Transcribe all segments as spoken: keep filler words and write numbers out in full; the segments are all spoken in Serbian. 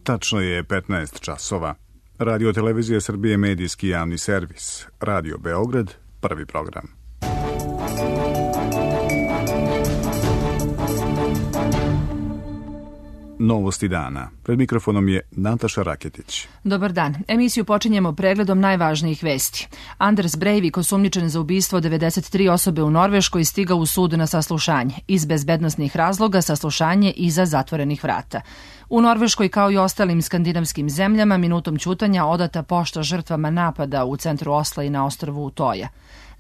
Tačno je petnaest časova. Radio Televizija Srbije, medijski javni servis. Radio Beograd, prvi program. Novosti dana. Pred mikrofonom je Nataša Raketić. Dobar dan. Emisiju počinjemo pregledom najvažnijih vesti. Anders Breivik, osumnjičen za ubistvo devedeset tri osobe u Norveškoj, stigao u sud na saslušanje. Iz bezbednosnih razloga saslušanje iza zatvorenih vrata. U Norveškoj, kao i ostalim skandinavskim zemljama, minutom ćutanja odata pošta žrtvama napada u centru Osla i na ostrvu Utoja.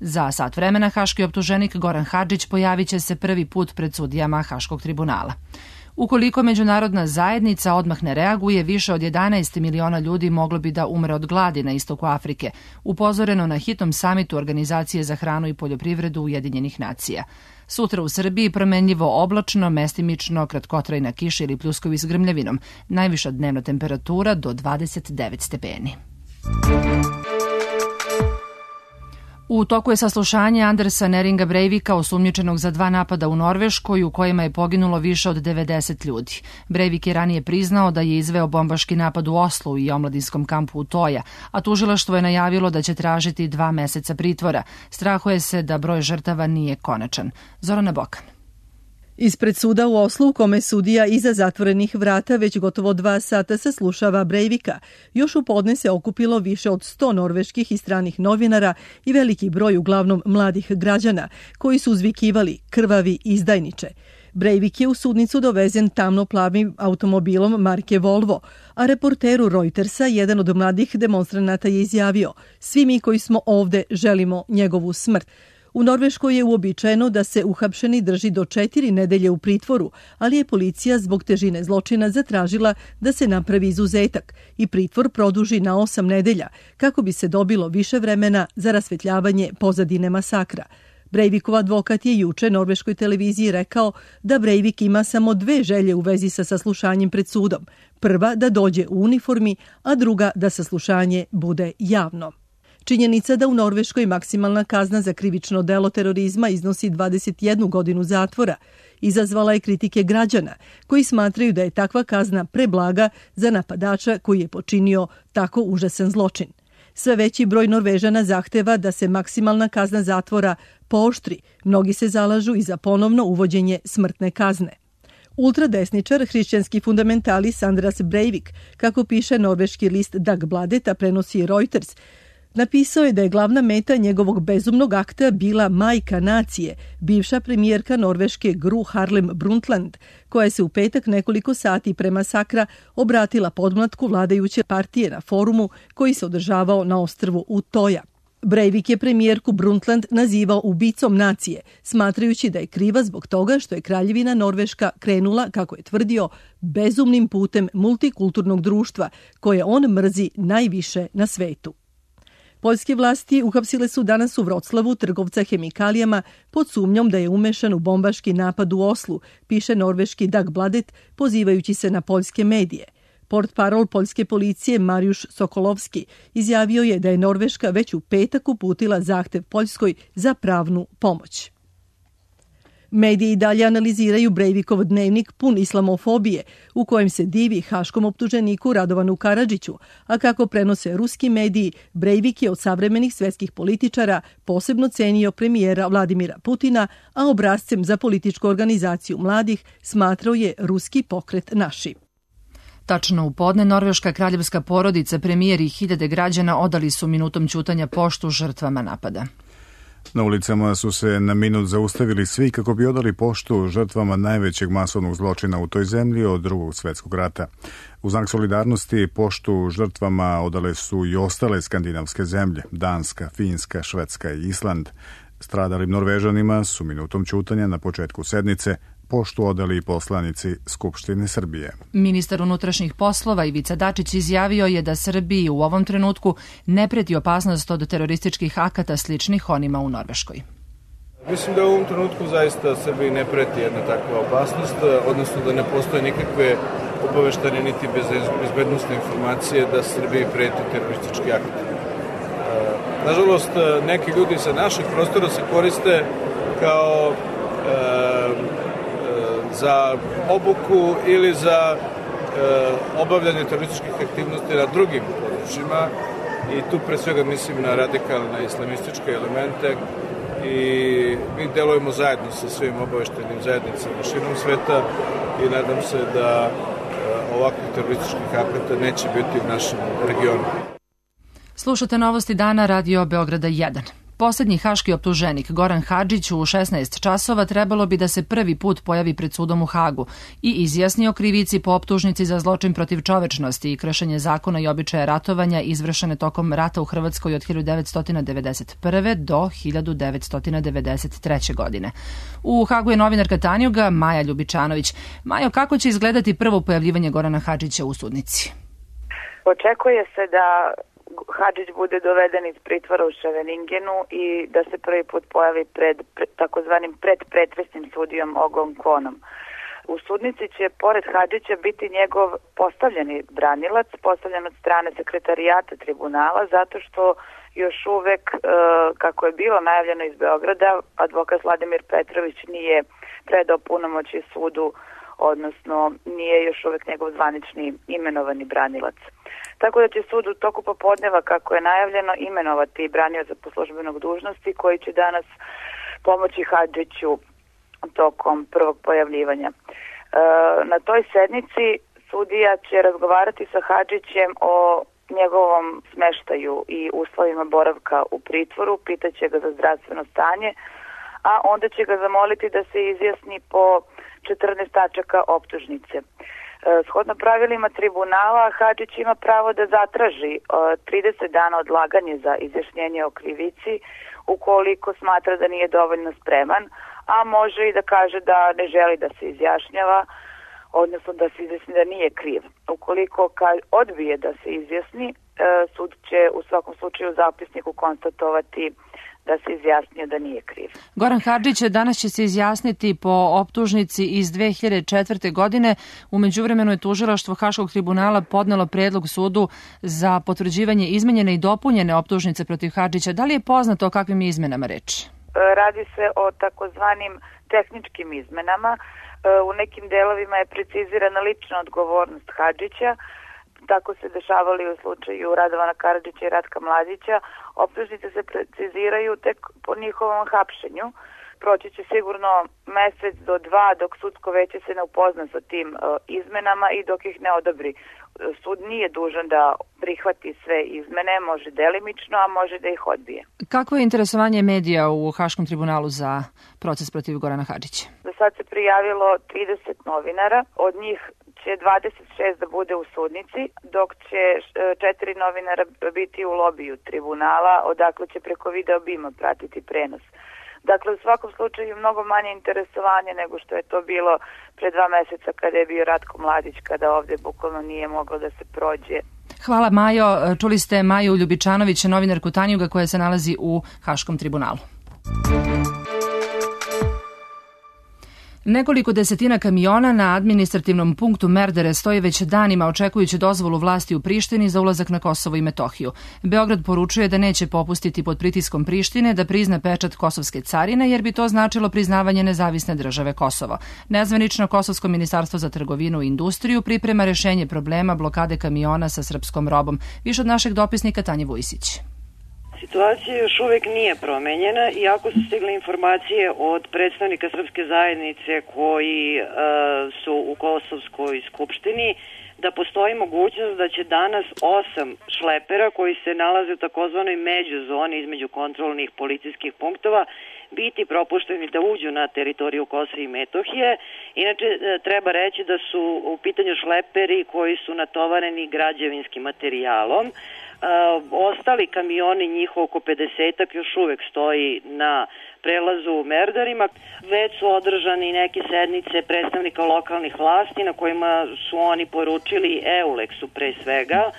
Za sat vremena haški optuženik Goran Hadžić pojavit će se prvi put pred sudijama Haškog tribunala. Ukoliko međunarodna zajednica odmah ne reaguje, više od jedanaest miliona ljudi moglo bi da umre od gladi na istoku Afrike, upozoreno na hitnom samitu Organizacije za hranu i poljoprivredu Ujedinjenih nacija. Sutra u Srbiji promenljivo oblačno, mestimično, kratkotrajna kiša ili pljuskovi s grmljavinom. Najviša dnevna temperatura do dvadeset devet stepeni. U toku je saslušanje Andersa Neringa Breivika, osumnjičenog za dva napada u Norveškoj u kojima je poginulo više od devedeset ljudi. Breivik je ranije priznao da je izveo bombaški napad u Oslu i omladinskom kampu Utoja, a tužilaštvo je najavilo da će tražiti dva meseca pritvora. Strahuje se da broj žrtava nije konačan. Zorana Bokan. Ispred suda u Oslu, u kome sudija iza zatvorenih vrata već gotovo dva sata saslušava Breivika, još u podne se okupilo više od sto norveških i stranih novinara i veliki broj uglavnom mladih građana, koji su uzvikivali krvavi izdajniče. Breivik je u sudnicu dovezen tamno-plavim automobilom marke Volvo, a reporteru Reutersa jedan od mladih demonstranata je izjavio: "Svi mi koji smo ovde želimo njegovu smrt." U Norveškoj je uobičajeno da se uhapšeni drži do četiri nedelje u pritvoru, ali je policija zbog težine zločina zatražila da se napravi izuzetak i pritvor produži na osam nedelja, kako bi se dobilo više vremena za rasvetljavanje pozadine masakra. Breivikov advokat je juče norveškoj televiziji rekao da Breivik ima samo dve želje u vezi sa saslušanjem pred sudom. Prva da dođe u uniformi, a druga da saslušanje bude javno. Činjenica da u Norveškoj maksimalna kazna za krivično delo terorizma iznosi dvadeset jednu godinu zatvora izazvala je kritike građana, koji smatraju da je takva kazna preblaga za napadača koji je počinio tako užasan zločin. Sve veći broj Norvežana zahteva da se maksimalna kazna zatvora pooštri. Mnogi se zalažu i za ponovno uvođenje smrtne kazne. Ultradesničar, hrišćanski fundamentalist Anders Breivik, kako piše norveški list Dagbladet, a prenosi Reuters, napisao je da je glavna meta njegovog bezumnog akta bila majka nacije, bivša premijerka Norveške Gro Harlem Brundtland, koja se u petak nekoliko sati pre masakra obratila podmlatku vladajuće partije na forumu koji se održavao na ostrvu Utoja. Breivik je premijerku Brundtland nazivao ubicom nacije, smatrajući da je kriva zbog toga što je kraljevina Norveška krenula, kako je tvrdio, bezumnim putem multikulturnog društva, koje on mrzi najviše na svetu. Poljske vlasti uhapsile su danas u Vroclavu trgovca hemikalijama pod sumnjom da je umešan u bombaški napad u Oslu, piše norveški Dagbladet, pozivajući se na poljske medije. Portparol poljske policije Mariusz Sokolovski izjavio je da je Norveška već u petak uputila zahtev Poljskoj za pravnu pomoć. Mediji i dalje analiziraju Breivikov dnevnik pun islamofobije, u kojem se divi haškom optuženiku Radovanu Karadžiću, a kako prenose ruski mediji, Breivik je od savremenih svetskih političara posebno cenio premijera Vladimira Putina, a obrazcem za političku organizaciju mladih smatrao je ruski pokret Naši. Tačno u podne, norveška kraljevska porodica, premijer i hiljade građana odali su minutom ćutanja poštu žrtvama napada. Na ulicama su se na minut zaustavili svi kako bi odali poštu žrtvama najvećeg masovnog zločina u toj zemlji od Drugog svjetskog rata. U znak solidarnosti poštu žrtvama odale su i ostale skandinavske zemlje, Danska, Finska, Švedska i Island. Stradalim Norvežanima su minutom ćutanja na početku sednice poštu odali i poslanici Skupštine Srbije. Ministar unutrašnjih poslova Ivica Dačić izjavio je da Srbiji u ovom trenutku ne preti opasnost od terorističkih akata sličnih onima u Norveškoj. Mislim da u ovom trenutku zaista Srbiji ne preti jedna takva opasnost, odnosno da ne postoje nikakve obaveštene niti bezbednosne informacije da Srbiji preti teroristički akt. Nažalost, neki ljudi sa naših prostora se koriste kao e, e, za obuku ili za obavljanje terorističkih aktivnosti na drugim područjima i tu pre svega mislim na radikalne islamističke elemente i mi delujemo zajedno sa svim obaveštajnim zajednicama širom sveta i nadam se da ovakvih terorističkih akata neće biti u našem regionu. Slušate Novosti dana Radio Beograda jedan. Poslednji haški optuženik Goran Hadžić u šesnaest časova trebalo bi da se prvi put pojavi pred sudom u Hagu i izjasni o krivici po optužnici za zločin protiv čovečnosti i kršenje zakona i običaja ratovanja izvršene tokom rata u Hrvatskoj od hiljadu devetsto devedeset prve. do hiljadu devetsto devedeset treće. godine. U Hagu je novinarka Tanjuga Maja Ljubičanović. Majo, kako će izgledati prvo pojavljivanje Gorana Hadžića u sudnici? Očekuje se da Hadžić bude doveden iz pritvora u Ševeningenu i da se prvi put pojavi pred, pred takozvanim predpretresnim sudijom Ogom Konom. U sudnici će pored Hadžića biti njegov postavljeni branilac, postavljen od strane sekretarijata tribunala, zato što još uvek, kako je bilo najavljeno iz Beograda, advokat Vladimir Petrović nije predao punomoćje sudu, odnosno nije još uvek njegov zvanični imenovani branilac. Tako da će sud u toku popodneva, kako je najavljeno, imenovati branioca po službenog dužnosti koji će danas pomoći Hadžiću tokom prvog pojavljivanja. E, na toj sednici sudija će razgovarati sa Hadžićem o njegovom smeštaju i uslovima boravka u pritvoru, pitaće ga za zdravstveno stanje, a onda će ga zamoliti da se izjasni po četrnaest tačaka optužnice. Shodno pravilima tribunala, Hadžić ima pravo da zatraži trideset dana odlaganje za izjašnjenje o krivici ukoliko smatra da nije dovoljno spreman, a može i da kaže da ne želi da se izjašnjava, odnosno da se izjasni da nije kriv. Ukoliko odbije da se izjasni, sud će u svakom slučaju u zapisniku konstatovati da se izjasnio da nije kriv. Goran Hadžić danas će se izjasniti po optužnici iz dve hiljade četvrte. godine. U međuvremenu je tužilaštvo Haškog tribunala podnelo predlog sudu za potvrđivanje izmenjene i dopunjene optužnice protiv Hadžića. Da li je poznato o kakvim izmenama reč? Radi se o takozvanim tehničkim izmenama. U nekim delovima je precizirana lična odgovornost Hadžića. Tako se dešavali u slučaju Radovana Karadžića i Ratka Mladića. Optužnice se preciziraju tek po njihovom hapšenju. Proći će sigurno mesec do dva dok sudsko veće se ne upozna sa tim uh, izmenama i dok ih ne odobri. Sud nije dužan da prihvati sve izmene, može delimično, a može da ih odbije. Kakvo je interesovanje medija u Haškom tribunalu za proces protiv Gorana Hadžića? Do sad se prijavilo trideset novinara, od njih će dvadeset šest da bude u sudnici, dok će četiri novinara biti u lobiju tribunala, odakle će preko video bima pratiti prenos. Dakle, u svakom slučaju mnogo manje interesovanje nego što je to bilo pre dva meseca kada je bio Ratko Mladić, kada ovde bukvalno nije moglo da se prođe. Hvala Majo. Čuli ste Maju Ljubičanović, novinarku Tanjuga koja se nalazi u Haškom tribunalu. Nekoliko desetina kamiona na administrativnom punktu Merdare stoji već danima očekujući dozvolu vlasti u Prištini za ulazak na Kosovo i Metohiju. Beograd poručuje da neće popustiti pod pritiskom Prištine da prizna pečat kosovske carine jer bi to značilo priznavanje nezavisne države Kosovo. Nezvanično Kosovsko ministarstvo za trgovinu i industriju priprema rešenje problema blokade kamiona sa srpskom robom. Više od našeg dopisnika Tanje Vujsić. Situacija još uvek nije promenjena, iako su stigle informacije od predstavnika srpske zajednice koji e, su u Kosovskoj skupštini, da postoji mogućnost da će danas osam šlepera koji se nalaze u takozvanoj međuzoni između kontrolnih policijskih punktova biti propušteni da uđu na teritoriju Kosova i Metohije. Inače, treba reći da su u pitanju šleperi koji su natovareni građevinskim materijalom. Uh, ostali kamioni, njih oko pedesetak, još uvek stoji na prelazu u Merdarima. Već su održani neke sednice predstavnika lokalnih vlasti na kojima su oni poručili Euleksu pre svega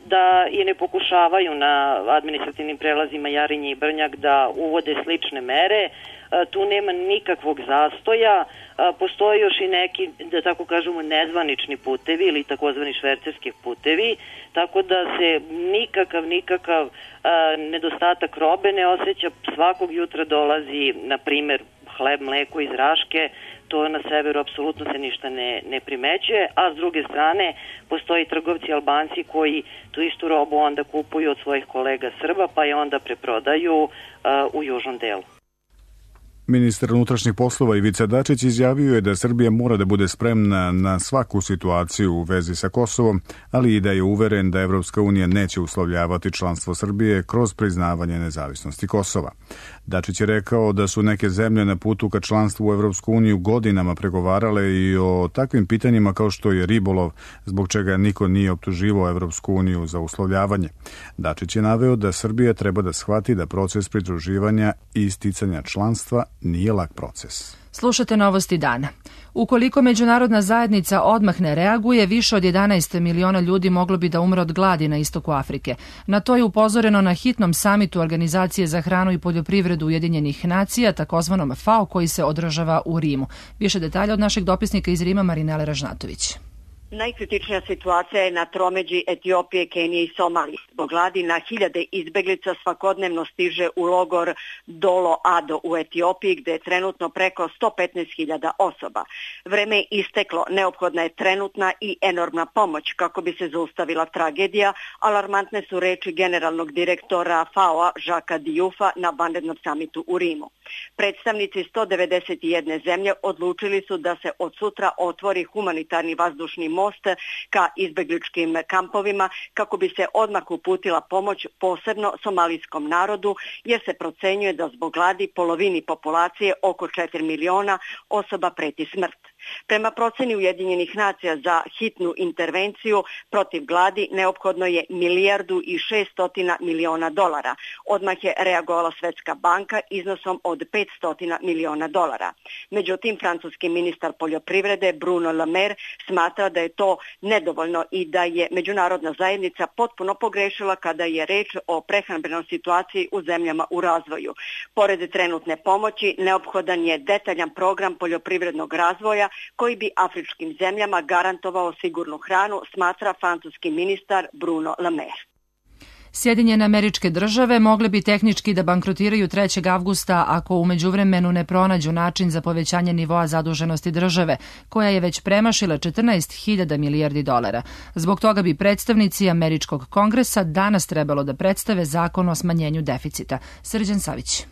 da i ne pokušavaju na administrativnim prelazima Jarinje i Brnjak da uvode slične mere. Tu nema nikakvog zastoja, postoji još i neki, da tako kažemo, nezvanični putevi ili takozvani švercerski putevi, tako da se nikakav, nikakav nedostatak robe ne osjeća. Svakog jutra dolazi, na primer, hleb, mleko iz Raške, to na severu apsolutno se ništa ne, ne primećuje, a s druge strane postoji trgovci Albanci koji tu istu robu onda kupuju od svojih kolega Srba, pa je onda preprodaju uh, u južnom delu. Ministar unutrašnjih poslova Ivica Dačić izjavio je da Srbija mora da bude spremna na svaku situaciju u vezi sa Kosovom, ali i da je uveren da Evropska unija neće uslovljavati članstvo Srbije kroz priznavanje nezavisnosti Kosova. Dačić je rekao da su neke zemlje na putu ka članstvu u Evropsku uniju godinama pregovarale i o takvim pitanjima kao što je ribolov, zbog čega niko nije optuživao Evropsku uniju za uslovljavanje. Dačić je naveo da Srbija treba da shvati da proces pridruživanja i isticanja članstva nije lak proces. Slušate novosti dana. Ukoliko međunarodna zajednica odmah ne reaguje, više od jedanaest miliona ljudi moglo bi da umre od gladi na istoku Afrike. Na to je upozoreno na hitnom samitu Organizacije za hranu i poljoprivredu Ujedinjenih nacija, takozvanom FAO, koji se održava u Rimu. Više detalja od našeg dopisnika iz Rima, Marinele Ražnatović. Najkritičnija situacija je na tromeđi Etiopije, Kenije i Somalije. Zbog gladi na hiljade izbeglica svakodnevno stiže u logor Dolo Ado u Etiopiji, gde je trenutno preko sto petnaest hiljada osoba. Vreme je isteklo, neophodna je trenutna i enormna pomoć kako bi se zaustavila tragedija. Alarmantne su reči generalnog direktora FAO-a Žaka Dijufa na vanrednom samitu u Rimu. Predstavnici sto devedeset jedne zemlje odlučili su da se od sutra otvori humanitarni vazdušni most ka izbegličkim kampovima kako bi se odmah uputila pomoć posebno somalijskom narodu, jer se procenjuje da zbog gladi polovini populacije, oko četiri miliona osoba, preti smrt. Prema proceni Ujedinjenih nacija za hitnu intervenciju protiv gladi neophodno je milijardu i šeststotina miliona dolara. Odmah je reagovala Svetska banka iznosom od petsto miliona dolara. Međutim, francuski ministar poljoprivrede Bruno Le Maire smatra da je to nedovoljno i da je međunarodna zajednica potpuno pogrešila kada je reč o prehrambenoj situaciji u zemljama u razvoju. Pored trenutne pomoći, neophodan je detaljan program poljoprivrednog razvoja koji bi afričkim zemljama garantovao sigurnu hranu, smatra francuski ministar Bruno Le Maire. Sjedinjene Američke Države mogle bi tehnički da bankrotiraju trećeg avgusta ako u međuvremenu ne pronađu način za povećanje nivoa zaduženosti države, koja je već premašila četrnaest hiljada milijardi dolara. Zbog toga bi predstavnici Američkog kongresa danas trebalo da predstave zakon o smanjenju deficita. Srđan Savić.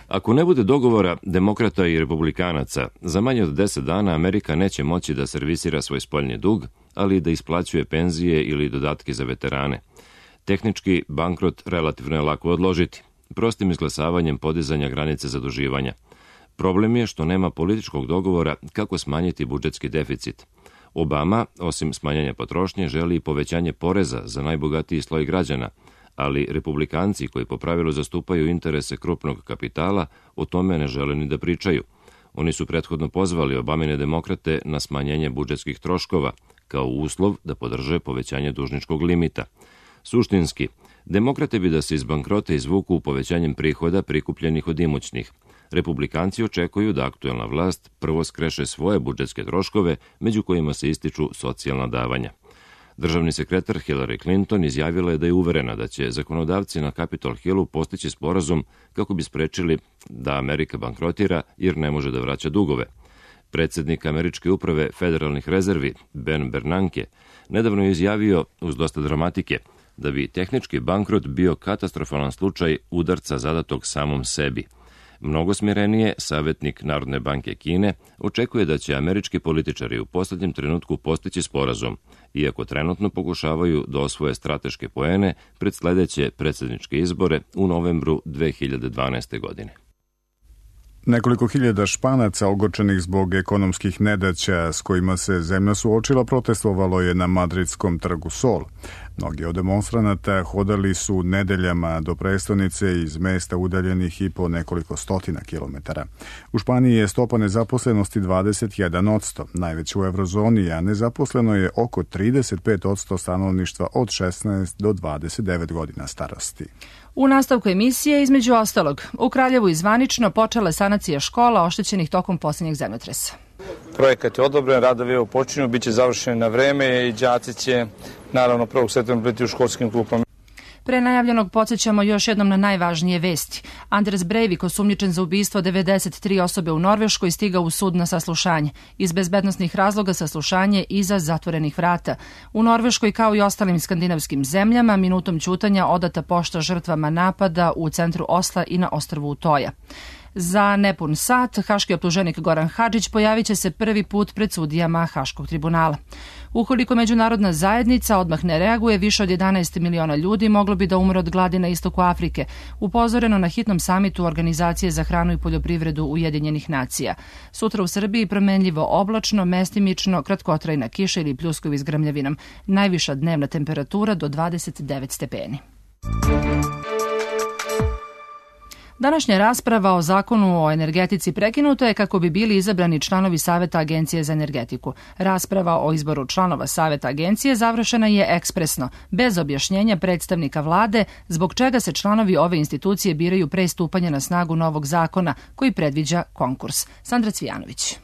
Ako ne bude dogovora demokrata i republikanaca, za manje od deset dana Amerika neće moći da servisira svoj spoljni dug, ali i da isplaćuje penzije ili dodatke za veterane. Tehnički, bankrot relativno je lako odložiti, prostim izglasavanjem podizanja granice zaduživanja. Problem je što nema političkog dogovora kako smanjiti budžetski deficit. Obama, osim smanjenja potrošnje, želi i povećanje poreza za najbogatiji sloj građana, ali republikanci koji po pravilu zastupaju interese krupnog kapitala o tome ne žele ni da pričaju. Oni su prethodno pozvali Obamine demokrate na smanjenje budžetskih troškova kao uslov da podrže povećanje dužničkog limita. Suštinski, demokrate bi da se iz bankrota izvuku povećanjem prihoda prikupljenih od imućnih. Republikanci očekuju da aktuelna vlast prvo skreše svoje budžetske troškove, među kojima se ističu socijalna davanja. Državni sekretar Hillary Clinton izjavila je da je uverena da će zakonodavci na Capitol Hillu postići sporazum kako bi sprečili da Amerika bankrotira jer ne može da vraća dugove. Predsednik Američke uprave federalnih rezervi Ben Bernanke nedavno je izjavio, uz dosta dramatike, da bi tehnički bankrot bio katastrofalan slučaj udarca zadatog samom sebi. Mnogo smirenije, savjetnik Narodne banke Kine očekuje da će američki političari u posljednjem trenutku postići sporazum, iako trenutno pokušavaju da osvoje strateške poene pred sledeće predsjedničke izbore u novembru dve hiljade dvanaeste. godine. Nekoliko hiljada Španaca ogorčenih zbog ekonomskih nedaća s kojima se zemlja suočila protestovalo je na madridskom trgu Sol. Mnogi od demonstranata hodali su nedeljama do prestonice iz mesta udaljenih i po nekoliko stotina kilometara. U Španiji je stopa nezaposlenosti dvadeset jedan posto, najveća u eurozoni, a nezaposleno je oko trideset pet posto stanovništva od šesnaest do dvadeset devet godina starosti. U nastavku emisije, između ostalog, u Kraljevu izvanično počela sanacija škola oštećenih tokom posljednjeg zemljotresa. Projekat je odobren, radovi počinju, bit će završeni na vreme i đaci će naravno prvog septembra biti u školskim klupama. Pre najavljenog podsjećamo još jednom na najvažnije vesti. Anders Breivik, osumnjičen za ubistvo devedeset tri osobe u Norveškoj, stigao u sud na saslušanje. Iz bezbednosnih razloga saslušanje iza zatvorenih vrata. U Norveškoj, kao i ostalim skandinavskim zemljama, minutom ćutanja odata pošta žrtvama napada u centru Osla i na ostrvu Utoja. Za nepun sat haški optuženik Goran Hadžić pojavit će se prvi put pred sudijama Haškog tribunala. Ukoliko međunarodna zajednica odmah ne reaguje, više od jedanaest miliona ljudi moglo bi da umre od gladi na istoku Afrike, upozoreno na hitnom samitu Organizacije za hranu i poljoprivredu Ujedinjenih nacija. Sutra u Srbiji promenljivo oblačno, mestimično, kratkotrajna kiša ili pljuskovi s grmljavinom. Najviša dnevna temperatura do dvadeset devet stepeni. Današnja rasprava o zakonu o energetici prekinuta je kako bi bili izabrani članovi Saveta Agencije za energetiku. Rasprava o izboru članova Saveta Agencije završena je ekspresno, bez objašnjenja predstavnika vlade, zbog čega se članovi ove institucije biraju pre stupanja na snagu novog zakona koji predviđa konkurs. Sandra Cvijanović.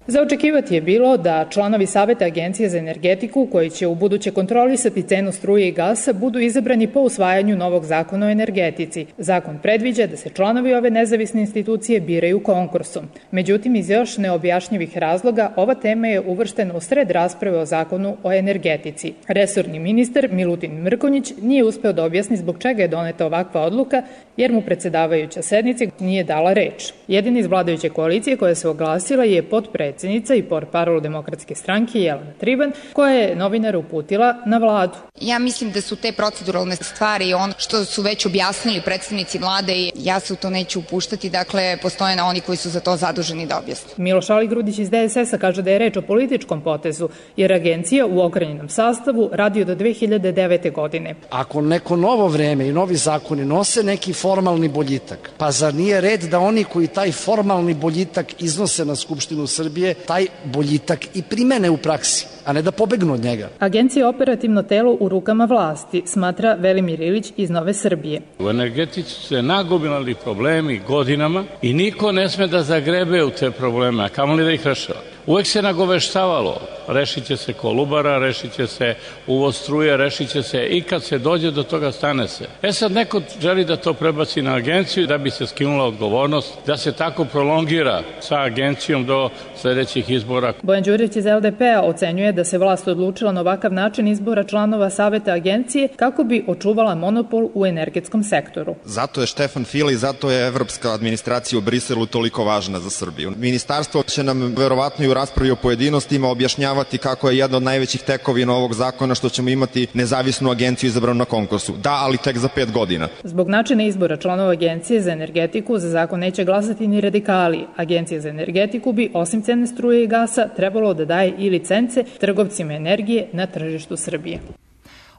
Za očekivati je bilo da članovi Saveta Agencije za energetiku, koji će u buduće kontrolisati cenu struje i gasa, budu izabrani po usvajanju novog zakona o energetici. Zakon predviđa da se članovi ove nezavisne institucije biraju konkursom. Međutim, iz još neobjašnjivih razloga, ova tema je uvrštena u sred rasprave o zakonu o energetici. Resorni ministar Milutin Mrkonjić nije uspeo da objasni zbog čega je doneta ovakva odluka, jer mu predsedavajuća sednice nije dala reč. Jedina iz vladajuće koalicije koja se oglasila je potpredsednica i portparol Demokratske stranke Jelena Triban, koja je novinar uputila na vladu. Ja mislim da su te proceduralne stvari ono što su već objasnili predstavnici vlade i ja se u to neću upuštati, dakle postoje na oni koji su za to zaduženi da objasne. Miloš Aligrudić iz D S S-a kaže da je reč o političkom potezu, jer agencija u okrenjenom sastavu radi do dve hiljade devete. godine. Ako neko novo vreme i novi zakoni nose neki formalni boljitak, pa zar nije red da oni koji taj formalni boljitak iznose na Skupštinu Srbije taj boljitak i primene u praksi, a ne da pobegnu od njega. Agencija je operativno telo u rukama vlasti, smatra Velimir Ilić iz Nove Srbije. U energetici su se nagomilali problemi godinama i niko ne sme da zagrebe u te probleme, a kamoli da ih rešava. Uvek se nagoveštavalo, rešit će se Kolubara, rešit će se uvoz struje, rešit će se i kad se dođe do toga stane se. E sad neko želi da to prebaci na agenciju da bi se skinula odgovornost, da se tako prolongira sa agencijom do sledećih izbora. Bojan Đurić iz L D P-a ocenjuje da se vlast odlučila na ovakav način izbora članova Saveta Agencije kako bi očuvala monopol u energetskom sektoru. Zato je Štefan File i zato je evropska administracija u Briselu toliko važna za Srbiju. Ministarstvo će nam verovatno i u raspravi o pojedinostima objašnjavati kako je jedna od najvećih tekovina ovog zakona što ćemo imati nezavisnu agenciju izabranu na konkursu. Da, ali tek za pet godina. Zbog načina izbora članova Agencije za energetiku za zakon neće glasati ni radikali. Agencija za energetiku bi, osim cene struje i gasa, trebalo da daje i licence trgovcima energije na tržištu Srbije.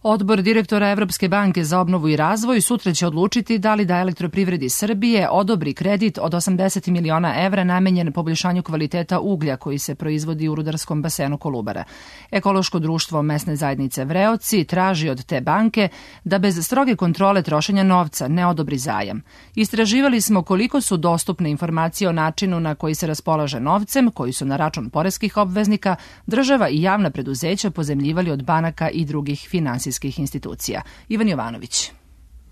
Odbor direktora Evropske banke za obnovu i razvoj sutra će odlučiti da li da Elektroprivredi Srbije odobri kredit od osamdeset miliona evra namenjen poboljšanju kvaliteta uglja koji se proizvodi u rudarskom basenu Kolubara. Ekološko društvo mesne zajednice Vreoci traži od te banke da bez stroge kontrole trošenja novca ne odobri zajam. Istraživali smo koliko su dostupne informacije o načinu na koji se raspolaže novcem, koji su na račun poreskih obveznika, država i javna preduzeća pozemljivali od banaka i drugih finansijskih institucija. Ivan Jovanović.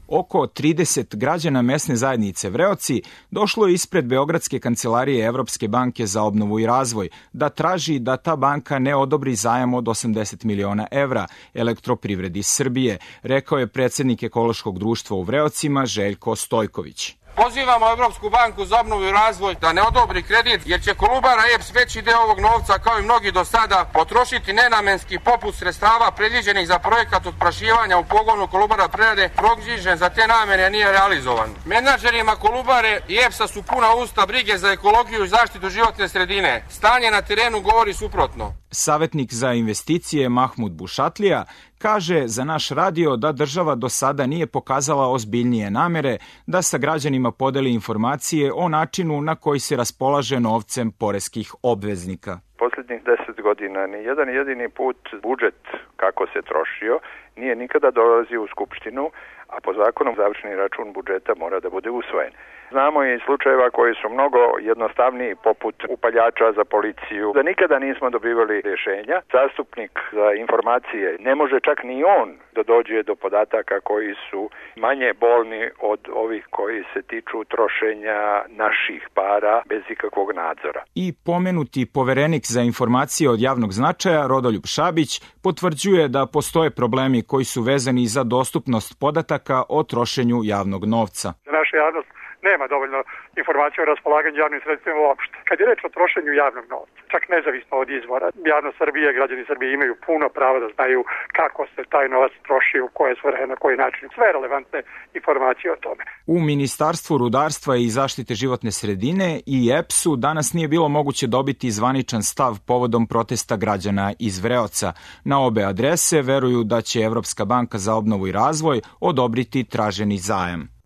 Oko trideset građana mesne zajednice Vreoci došlo je ispred Beogradske kancelarije Evropske banke za obnovu i razvoj da traži da ta banka ne odobri zajam od osamdeset miliona evra Elektroprivredi Srbije, rekao je predsednik Ekološkog društva u Vreocima Željko Stojković. Pozivamo Evropsku banku za obnovu i razvoj da ne odobri kredit, jer će Kolubara E P S veći deo ovog novca, kao i mnogi do sada, potrošiti nenamenski poput sredstava predviđenih za projekat otprašivanja u pogonu Kolubara prerade, proknjižen za te namene nije realizovan. Menadžerima Kolubare i E P S-a su puna usta brige za ekologiju i zaštitu životne sredine. Stanje na terenu govori suprotno. Savetnik za investicije Mahmud Bušatlija kaže za naš radio da država do sada nije pokazala ozbiljnije namere da sa građanima podeli informacije o načinu na koji se raspolaže novcem poreskih obveznika. Poslednjih deset godina ni jedan jedini put budžet kako se trošio, nije nikada dolazio u Skupštinu, a po zakonu završni račun budžeta mora da bude usvojen. Znamo i slučajeva koji su mnogo jednostavniji, poput upaljača za policiju, da nikada nismo dobivali rješenja. Zastupnik za informacije ne može čak ni on da dođe do podataka koji su manje bolni od ovih koji se tiču trošenja naših para bez ikakvog nadzora. I pomenuti poverenik za informacije od javnog značaja, Rodoljub Šabić, potvrđuje da postoje problemi koji su vezani za dostupnost podataka o trošenju javnog novca. Naša javnost nema dovoljno informacija o raspolaganju javnim sredstvima uopšte. Kad je reč o trošenju javnog novca, čak nezavisno od izvora, javnost Srbije, građani Srbije imaju puno pravo da znaju kako se taj novac troši, u koje svrhe, na koji način. Sve relevantne informacije o tome. U Ministarstvu rudarstva i zaštite životne sredine i E P S-u danas nije bilo moguće dobiti zvaničan stav povodom protesta građana iz Vreoca. Na obe adrese veruju da će Evropska banka za obnovu i razvoj odobriti traženi zajam.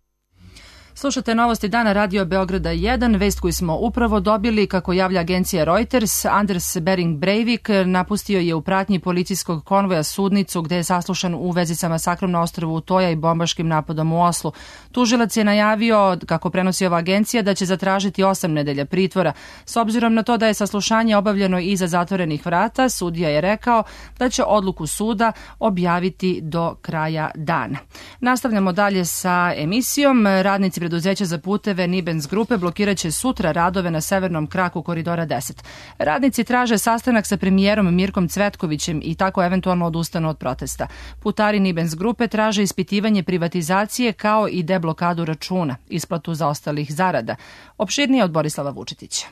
Slušate novosti dana Radio Beograda jedan, vest koju smo upravo dobili, kako javlja agencija Reuters. Anders Behring Breivik napustio je u pratnji policijskog konvoja sudnicu gde je saslušan u vezi sa masakrom na ostrvu Utoja i bombaškim napadom u Oslu. Tužilac je najavio, kako prenosi ova agencija, da će zatražiti osam nedelja pritvora. S obzirom na to da je saslušanje obavljeno iza zatvorenih vrata, sudija je rekao da će odluku suda objaviti do kraja dana. Nastavljamo dalje sa emisijom. Radnici preduzeća za puteve Nibens grupe blokiraće sutra radove na severnom kraku koridora deset. Radnici traže sastanak sa premijerom Mirkom Cvetkovićem i tako eventualno odustanu od protesta. Putari Nibens grupe traže ispitivanje privatizacije kao i deblokadu računa, isplatu zaostalih zarada. Opširnije od Borislava Vučetića.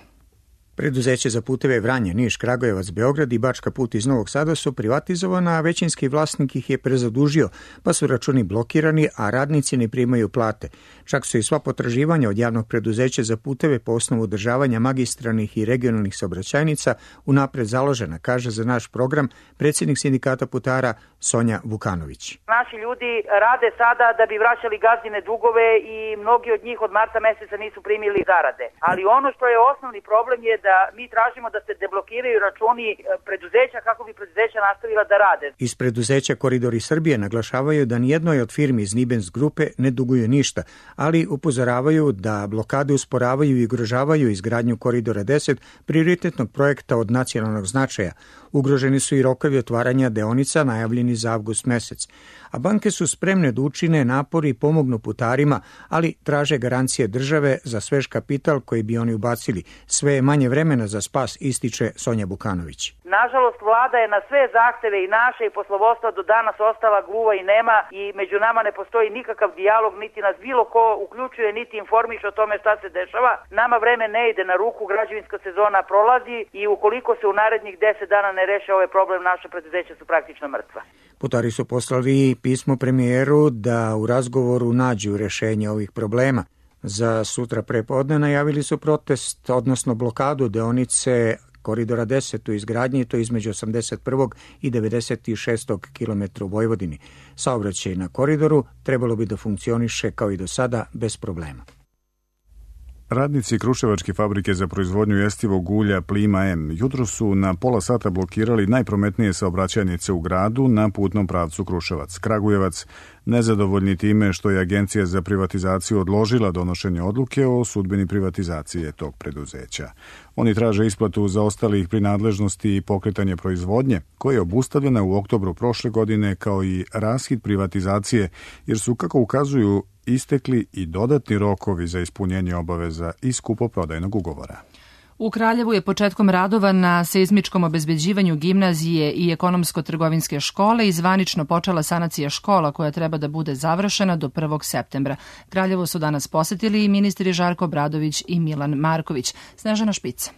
Preduzeće za puteve Vranje, Niš, Kragujevac, Beograd i Bačka Put iz Novog Sada su privatizovana, a većinski vlasnik ih je prezadužio, pa su računi blokirani, a radnici ne primaju plate. Čak su i sva potraživanja od javnog preduzeća za puteve po osnovu održavanja magistralnih i regionalnih saobraćajnica unapred založena, kaže za naš program predsjednik sindikata putara Sonja Vukanović. Naši ljudi rade sada da bi vraćali gazdine dugove i mnogi od njih od marta meseca nisu primili zarade. Ali ono što je osnovni problem je da mi tražimo da se deblokiraju računi preduzeća kako bi preduzeća nastavila da rade. Iz preduzeća Koridori Srbije naglašavaju da nijednoj od firmi iz Nibens grupe ne duguju ništa, ali upozoravaju da blokade usporavaju i ugrožavaju izgradnju Koridora deset, prioritetnog projekta od nacionalnog značaja. Ugroženi su i rokovi otvaranja deonica najavljeni za avgust mesec. A banke su spremne da učine napori i pomognu putarima, ali traže garancije države za svež kapital koji bi oni ubacili. Sve je manje vremena za spas, ističe Sonja Bukanović. Nažalost, vlada je na sve zahteve i naše i poslovodstva do danas ostala gluva i nema i među nama ne postoji nikakav dijalog, niti nas bilo ko uključuje, niti informiše o tome šta se dešava. Nama vreme ne ide na ruku, građevinska sezona prolazi i ukoliko se u narednih deset dana ne reše ovaj problem, naše preduzeća su praktično mrtva. Putari su poslali pismo premijeru da u razgovoru nađu rešenje ovih problema. Za sutra prepodne najavili su protest, odnosno blokadu deonice Koridora deset u izgradnji, to između osamdeset prvog i devedeset šestog kilometra u Vojvodini. Saobraćaj na koridoru trebalo bi da funkcioniše kao i do sada bez problema. Radnici Kruševačke fabrike za proizvodnju jestivog ulja Plima M jutro su na pola sata blokirali najprometnije saobraćajnice u gradu na putnom pravcu Kruševac-Kragujevac, nezadovoljni time što je Agencija za privatizaciju odložila donošenje odluke o sudbini privatizacije tog preduzeća. Oni traže isplatu zaostalih prinadležnosti i pokretanje proizvodnje, koja je obustavljena u oktobru prošle godine, kao i raskid privatizacije, jer su, kako ukazuju, istekli i dodatni rokovi za ispunjenje obaveza iz kupoprodajnog ugovora. U Kraljevu je početkom radova na seizmičkom obezbeđivanju gimnazije i ekonomsko-trgovinske škole i zvanično počela sanacija škola koja treba da bude završena do prvog septembra. Kraljevo su danas posetili i ministri Žarko Obradović i Milan Marković. Snežana Špica.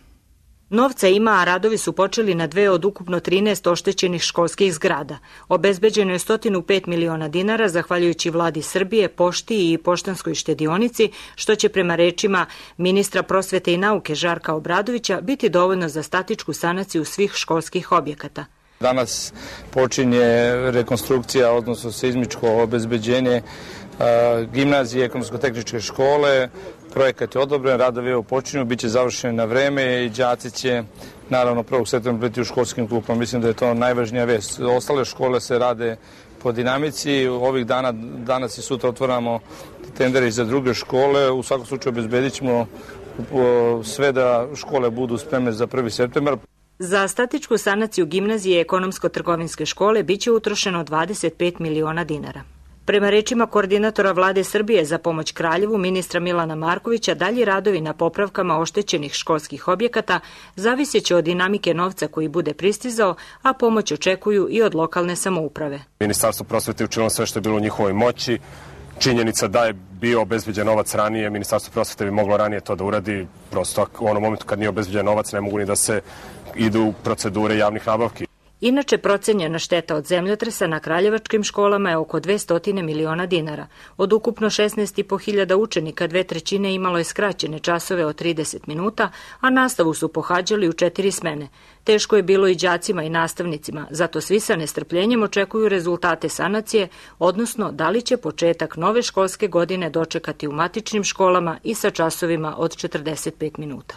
Novca ima, a radovi su počeli na dve od ukupno trinaest oštećenih školskih zgrada. Obezbeđeno je sto pet miliona dinara zahvaljujući vladi Srbije, pošti i poštanskoj štedionici, što će prema rečima ministra prosvete i nauke Žarka Obradovića biti dovoljno za statičku sanaciju svih školskih objekata. Danas počinje rekonstrukcija, odnosno seizmičko obezbeđenje gimnazije, ekonomsko-tehničke škole, projekat je odobren, radovi evo počinju, bit će završeni na vreme i đaci će naravno prvog septembra biti u školskim klupama. Mislim da je to najvažnija vest. Ostale škole se rade po dinamici. Ovih dana, danas i sutra otvaramo tendere za druge škole. U svakom slučaju obezbedit ćemo sve da škole budu spremne za prvi septembar. Za statičku sanaciju gimnazije ekonomsko-trgovinske škole biće utrošeno dvadeset pet miliona dinara. Prema rečima koordinatora Vlade Srbije za pomoć Kraljevu, ministra Milana Markovića, dalji radovi na popravkama oštećenih školskih objekata zaviseće od dinamike novca koji bude pristizao, a pomoć očekuju i od lokalne samouprave. Ministarstvo prosvete je učinilo sve što je bilo u njihovoj moći. Činjenica da je bio obezbeđen novac ranije, Ministarstvo prosvete bi moglo ranije to da uradi. Prosto u onom momentu kad nije obezbeđen novac ne mogu ni da se idu u procedure javnih nabavki. Inače, procenjena šteta od zemljotresa na kraljevačkim školama je oko dvesta miliona dinara. Od ukupno šesnaest i po hiljada učenika, dve trećine imalo je skraćene časove od trideset minuta, a nastavu su pohađali u četiri smene. Teško je bilo i đacima i nastavnicima, zato svi sa nestrpljenjem očekuju rezultate sanacije, odnosno da li će početak nove školske godine dočekati u matičnim školama i sa časovima od četrdeset pet minuta.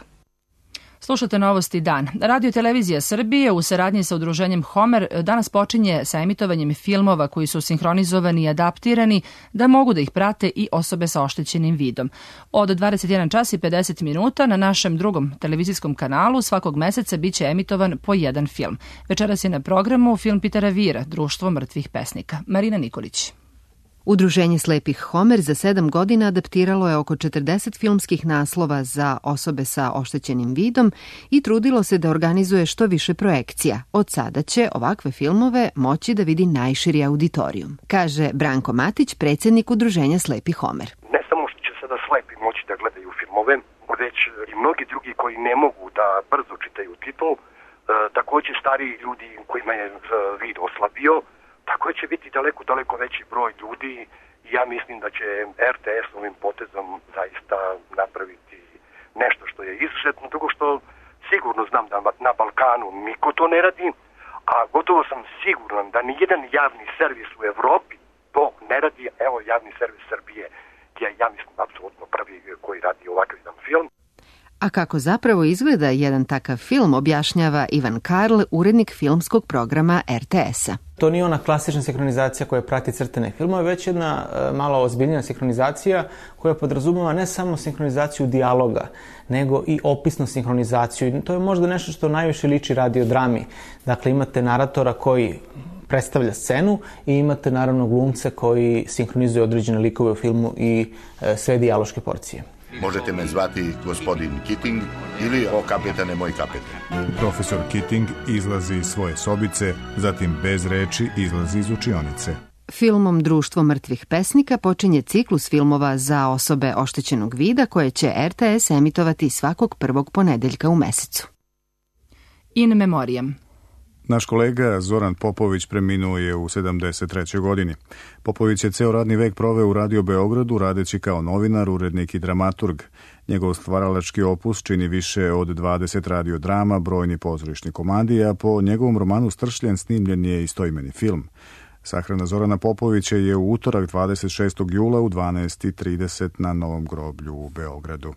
Slušate Novosti dan. Radio Televizija Srbije u saradnji sa udruženjem Homer danas počinje sa emitovanjem filmova koji su sinhronizovani i adaptirani da mogu da ih prate i osobe sa oštećenim vidom. Od dvadeset jedan čas i pedeset minuta na našem drugom televizijskom kanalu svakog meseca biće emitovan po jedan film. Večeras je na programu film Pitera Vira, Društvo mrtvih pesnika. Marina Nikolić. Udruženje slepih Homer za sedam godina adaptiralo je oko četrdeset filmskih naslova za osobe sa oštećenim vidom i trudilo se da organizuje što više projekcija. Od sada će ovakve filmove moći da vidi najširi auditorijum, kaže Branko Matić, predsjednik Udruženja slepih Homer. Ne samo što će sada slepi moći da gledaju filmove, već i mnogi drugi koji ne mogu da brzo čitaju titul, e, također stariji ljudi kojima je vid oslabio. Tako će biti daleko, daleko veći broj ljudi i ja mislim da će er te es ovim potezom zaista napraviti nešto što je izuzetno, drugo što sigurno znam da na Balkanu niko to ne radi, a gotovo sam siguran da nijedan javni servis u Evropi to ne radi. Evo, javni servis Srbije je, ja mislim, apsolutno prvi koji radi ovakav jedan film. A kako zapravo izgleda jedan takav film, objašnjava Ivan Karl, urednik filmskog programa er te es-a. To nije ona klasična sinhronizacija koja prati crtane filmove, već jedna e, malo ozbiljnija sinhronizacija koja podrazumeva ne samo sinhronizaciju dijaloga, nego i opisnu sinhronizaciju. I to je možda nešto što najviše liči radiodrami. Dakle, imate naratora koji predstavlja scenu i imate naravno glumce koji sinhronizuje određene likove u filmu i e, sve dijaloške porcije. Možete me zvati gospodin Keating ili o kapetane moj kapetan. Profesor Keating izlazi iz svoje sobice, zatim bez reči izlazi iz učionice. Filmom Društvo mrtvih pesnika počinje ciklus filmova za osobe oštećenog vida koje će er te es emitovati svakog prvog ponedeljka u mesecu. In memoriam. Naš kolega Zoran Popović preminuo je u sedamdeset trećoj godini. Popović je ceo radni vek proveo u Radio Beogradu radeći kao novinar, urednik i dramaturg. Njegov stvaralački opus čini više od dvadeset radiodrama, brojni pozorišni komadi, a po njegovom romanu Stršljen snimljen je istoimeni film. Sahrana Zorana Popovića je u utorak dvadeset šestog jula u dvanaest i trideset na Novom groblju u Beogradu.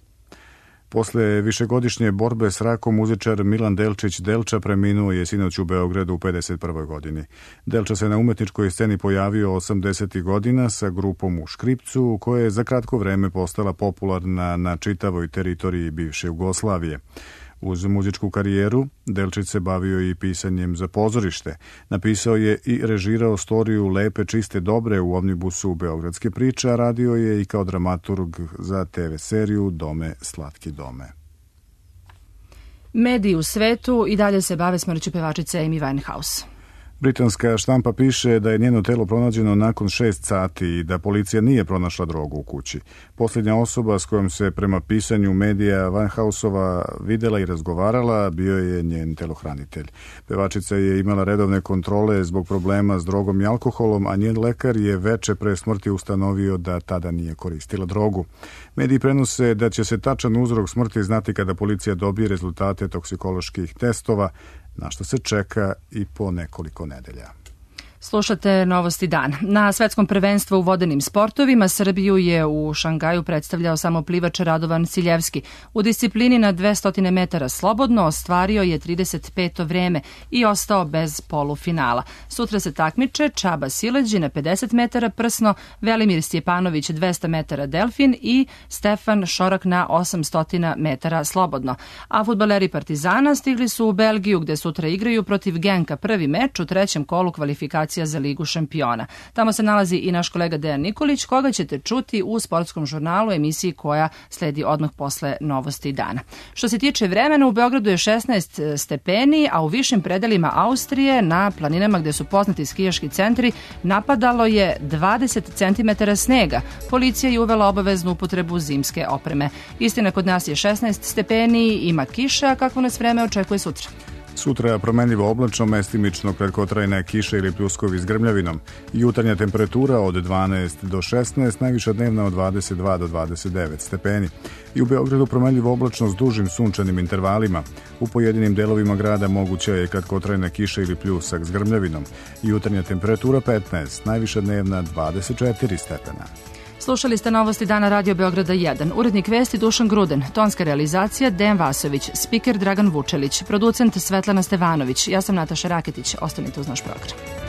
Posle višegodišnje borbe s rakom muzičar Milan Delčić Delča preminuo je sinoć u Beogradu u pedeset prvoj godini. Delča se na umetničkoj sceni pojavio osamdesetih godina sa grupom U Škripcu, koja je za kratko vreme postala popularna na čitavoj teritoriji bivše Jugoslavije. Uz muzičku karijeru, Delčić se bavio i pisanjem za pozorište. Napisao je i režirao storiju Lepe, čiste, dobre u omnibusu Beogradske priče, a radio je i kao dramaturg za te ve seriju Dome, slatki dome. Mediji u svetu i dalje se bave smrću pevačice Amy Winehouse. Britanska štampa piše da je njeno telo pronađeno nakon šest sati i da policija nije pronašla drogu u kući. Posljednja osoba s kojom se prema pisanju medija Winehouseova videla i razgovarala bio je njen telohranitelj. Pevačica je imala redovne kontrole zbog problema s drogom i alkoholom, a njen lekar je veče pre smrti ustanovio da tada nije koristila drogu. Mediji prenose da će se tačan uzrok smrti znati kada policija dobije rezultate toksikoloških testova, na što se čeka i po nekoliko nedelja. Slušate Novosti dana. Na svetskom prvenstvu u vodenim sportovima Srbiju je u Šangaju predstavljao samo plivač Radovan Siljevski. U disciplini na dvesta metara slobodno ostvario je trideset peto vreme i ostao bez polufinala. Sutra se takmiče Čaba Sileđi na pedeset metara prsno, Velimir Stjepanović dvesta metara delfin i Stefan Šorak na osamsto metara slobodno. A fudbaleri Partizana stigli su u Belgiju gde sutra igraju protiv Genka prvi meč u trećem kolu kvalifikacija za Ligu šampiona. Tamo se nalazi i naš kolega Dejan Nikolić, koga ćete čuti u sportskom žurnalu, emisiji koja sledi odmah posle Novosti dana. Što se tiče vremena, u Beogradu je šesnaest stepeni, a u višim predelima Austrije, na planinama gde su poznati skijaški centri, napadalo je dvadeset centimetara snega. Policija je uvela obaveznu upotrebu zimske opreme. Istina, kod nas je šesnaest stepeni, ima kiša, kakvo nas vreme očekuje sutra. Sutra promenljivo oblačno, mestimično kratkotrajne kiše ili pljuskovi s grmljavinom. Jutarnja temperatura od dvanaest do šesnaest, najviša dnevna od dvadeset dva do dvadeset devet stepeni. I u Beogradu promenljivo oblačno s dužim sunčanim intervalima. U pojedinim delovima grada moguća je kratkotrajna kiša ili pljusak s grmljavinom. Jutarnja temperatura petnaest, najviša dnevna dvadeset četiri stepena. Slušali ste Novosti dana Radio Beograda jedan. Urednik vesti Dušan Gruden, tonska realizacija Dejan Vasović, spiker Dragan Vučelić, producent Svetlana Stevanović. Ja sam Nataša Raketić. Ostanite uz naš program.